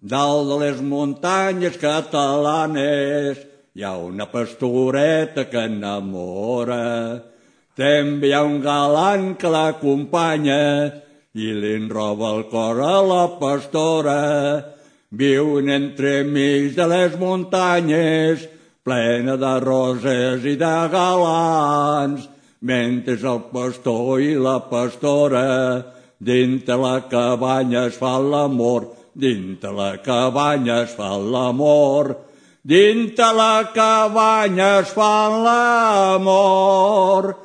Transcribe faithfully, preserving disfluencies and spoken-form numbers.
Dalt de les muntanyes catalanes hi ha una pastoreta que enamora. També hi ha un galant que l'acompanya i li enroba el cor a la pastora. Viuen entremig de les muntanyes, plena de roses i de galants, mentre el pastor i la pastora dintre la cabanya es fan l'amor, dintre la cabanya es fan l'amor, dintre la cabanya es fan l'amor.